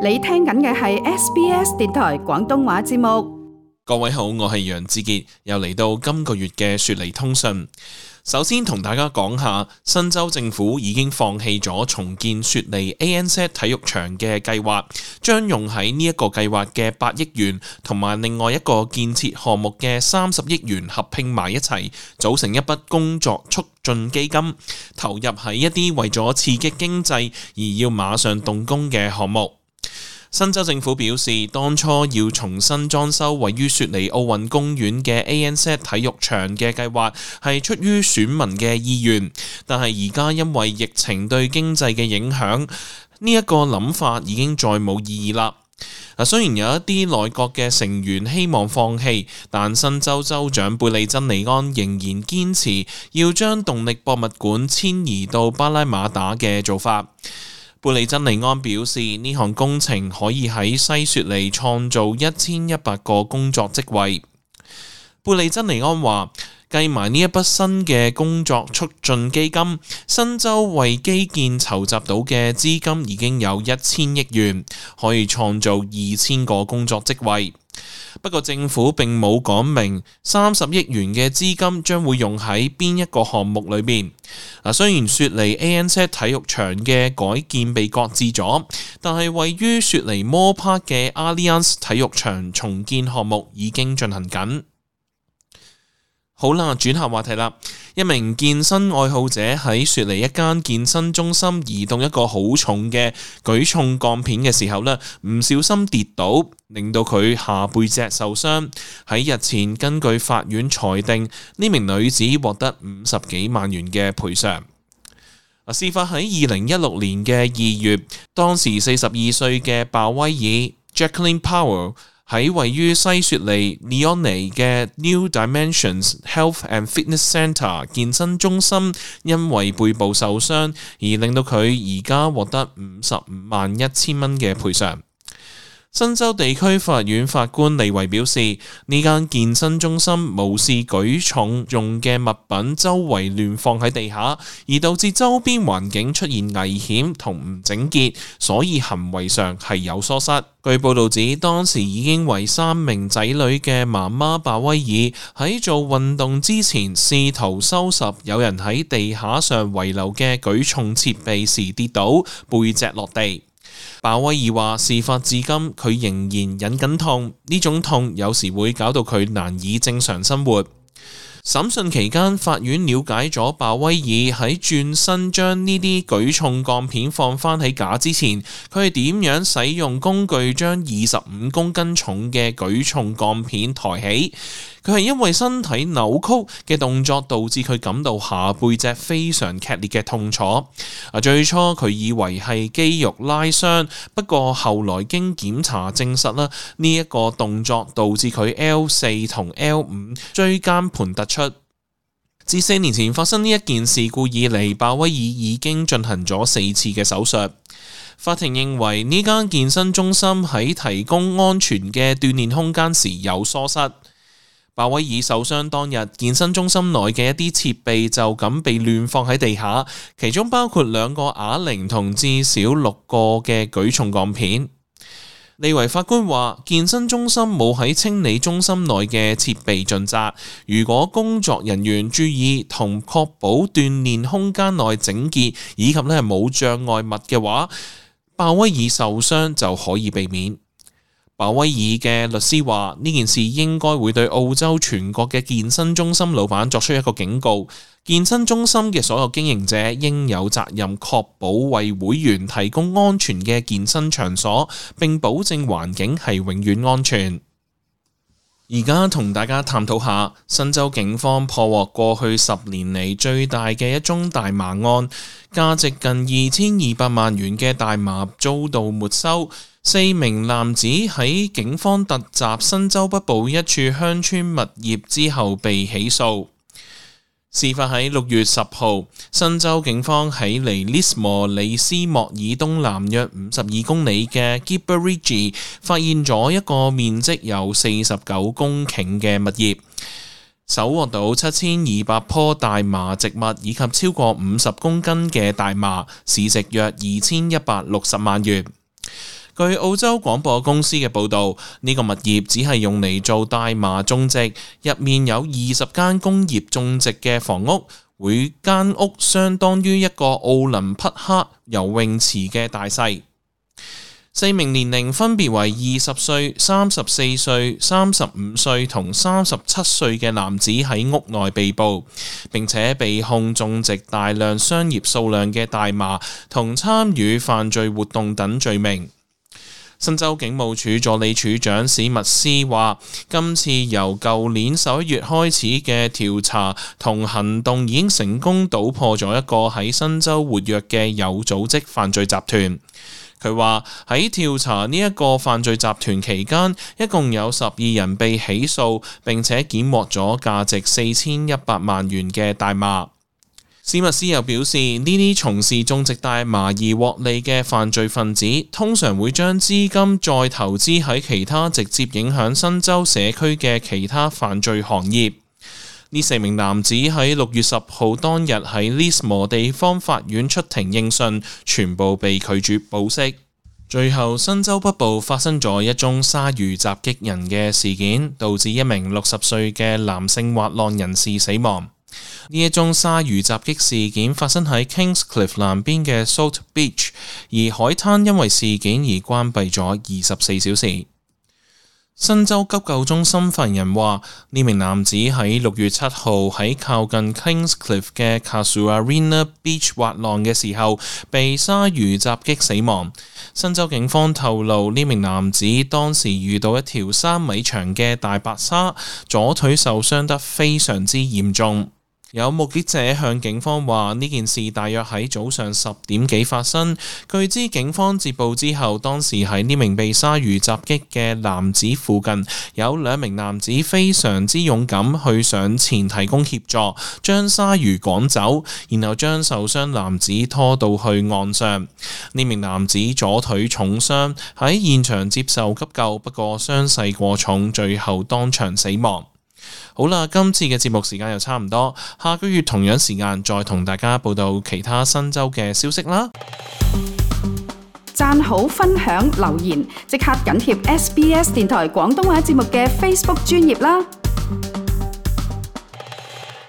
你聽緊嘅係 SBS 電台廣東話節目。各位好，我係楊志傑，又嚟到今個月嘅雪梨通訊。首先同大家講下，新州政府已經放棄咗重建雪梨 ANZ 體育場嘅計劃，將用喺呢一個計劃嘅8億元同埋另外一個建設項目嘅30億元合併埋一齊，組成一筆工作促進基金，投入喺一啲為咗刺激經濟而要馬上動工嘅項目。新州政府表示，當初要重新裝修位於雪梨奧運公園嘅 ANZ 體育場嘅計劃係出於選民嘅意願，但係而家因為疫情對經濟嘅影響，呢一個諗法已經再冇意義啦。雖然有一啲內閣嘅成員希望放棄，但新州州長貝利珍尼安仍然堅持要將動力博物館遷移到巴拉馬打嘅做法。貝利珍尼安表示，呢項工程可以喺西雪梨創造1100個工作職位。貝利珍尼安話，計埋呢一筆新嘅工作促進基金，新州為基建籌集到嘅資金已經有1000億元，可以創造2000個工作職位。不過政府並冇講明30億元嘅資金將會用喺邊一個項目裏面。雖然雪梨 ANZ 體育場嘅改建被擱置咗，但係位於雪梨 Moore Park 嘅 Allianz 體育場重建項目已經進行緊。好啦，轉下話題啦。一名健身愛好者喺雪梨一間健身中心移動一個好重嘅舉重鋼片嘅時候呢，唔小心跌倒，令到佢下背脊受傷。喺日前，根據法院裁定，呢名女子獲得50幾萬元嘅賠償。事發喺2016年嘅2月，當時42歲嘅鮑威爾 Jacqueline Powell喺位於西雪梨 Leonie 嘅 New Dimensions Health and Fitness Centre 健身中心，因為背部受傷而令到佢而家獲得551000蚊嘅賠償。新州地區法院法官利維表示，呢間健身中心無視舉重用嘅物品周圍亂放喺地下，而導致周邊環境出現危險同唔整潔，所以行為上係有疏失。據報道指，當時已經為3名仔女嘅媽媽鮑威爾喺做運動之前試圖收拾有人喺地下上遺留嘅舉重設備時跌倒，背脊落地。鮑威爾話，事發至今佢仍然忍緊痛，呢種痛有時會搞到佢難以正常生活。審訊期間，法院了解咗鮑威爾喺轉身將呢啲舉重鋼片放返喺架之前，佢係點樣使用工具將25公斤重嘅舉重鋼片抬起。佢係因為身體扭曲嘅動作導致佢感到下背脊非常劇烈嘅痛楚。最初佢以為係肌肉拉傷，不過後來經檢查證實啦，呢一個動作導致佢 L4 同 L5 椎間盤突出。自4年前發生呢一件事故以嚟，鮑威爾已經進行咗4次嘅手術。法庭認為呢間健身中心喺提供安全嘅鍛煉空間時有疏失。鮑威爾受傷當日，健身中心內嘅一啲設備就咁被亂放喺地下，其中包括2個啞鈴同至少6個嘅舉重鋼片。利維法官話，健身中心冇喺清理中心內嘅設備盡責，如果工作人員注意同確保鍛煉空間內整潔以及冇障礙物嘅話，鮑威爾受傷就可以避免。鮑威爾嘅律師話，呢件事應該會對澳洲全國嘅健身中心老闆作出一個警告。健身中心嘅所有經營者應有責任確保為會員提供安全嘅健身場所，並保證環境係永遠安全。而家同大家探討下，新州警方破獲過去10年嚟最大嘅一宗大麻案，價值近2200萬元嘅大麻遭到沒收。4名男子喺警方突襲新州北部一處鄉村物業之後被起訴。事發喺6月10號，新州警方喺離 Lismore 里斯莫爾東南約52公里嘅 Gibber Ridge 發現咗一個面積有49公頃嘅物業，搜獲到7200棵大麻植物以及超過50公斤嘅大麻，市值約2160萬元。據澳洲廣播公司嘅報導，呢個物業只係用嚟做大麻種植，入面有20間工業種植嘅房屋，每間屋相當於一個奧林匹克游泳池嘅大細。4名年齡分別為20歲、34歲、35歲同37歲嘅男子喺屋內被捕，並且被控種植大量商業數量嘅大麻同參與犯罪活動等罪名。新州警務處助理處長史密斯話，今次由舊年11月開始嘅調查同行動已經成功搗破咗一個喺新州活躍嘅有組織犯罪集團。佢話喺調查呢一個犯罪集團期間，一共有12人被起訴，並且檢獲咗價值4100萬元嘅大麻。史密斯又表示，呢啲從事種植大麻而獲利嘅犯罪分子，通常會將資金再投資喺其他直接影響新州社區嘅其他犯罪行業。呢4名男子喺6月10號當日喺 Lismore 地方法院出庭應訊，全部被拒絕保釋。最後，新州北部發生咗一宗鯊魚襲擊人嘅事件，導致一名60歲嘅男性滑浪人士死亡。呢一宗鯊魚襲擊事件發生喺 Kingscliff 南邊嘅 Salt Beach， 而海灘因為事件而關閉咗24小時。新州急救中心發言人話，呢名男子喺6月7號喺靠近 Kingscliff 嘅 Casuarina Beach 滑浪嘅時候，被鯊魚襲擊死亡。新州警方透露，呢名男子當時遇到一條3米長嘅大白鯊，左腿受傷得非常之嚴重。有目擊者向警方話，呢件事大約喺早上10點幾發生。據知警方接報之後，當時喺呢名被鯊魚襲擊嘅男子附近有2名男子非常之勇敢去上前提供協助，將鯊魚趕走，然後將受傷男子拖到去岸上。呢名男子左腿重傷，喺現場接受急救，不過傷勢過重，最後當場死亡。好啦，今次嘅節目時間又差唔多，下個月同樣時間再同大家報道其他新州嘅消息啦。讚好、分享、留言，即刻緊貼SBS 電台廣東話節目嘅 Facebook 專頁啦。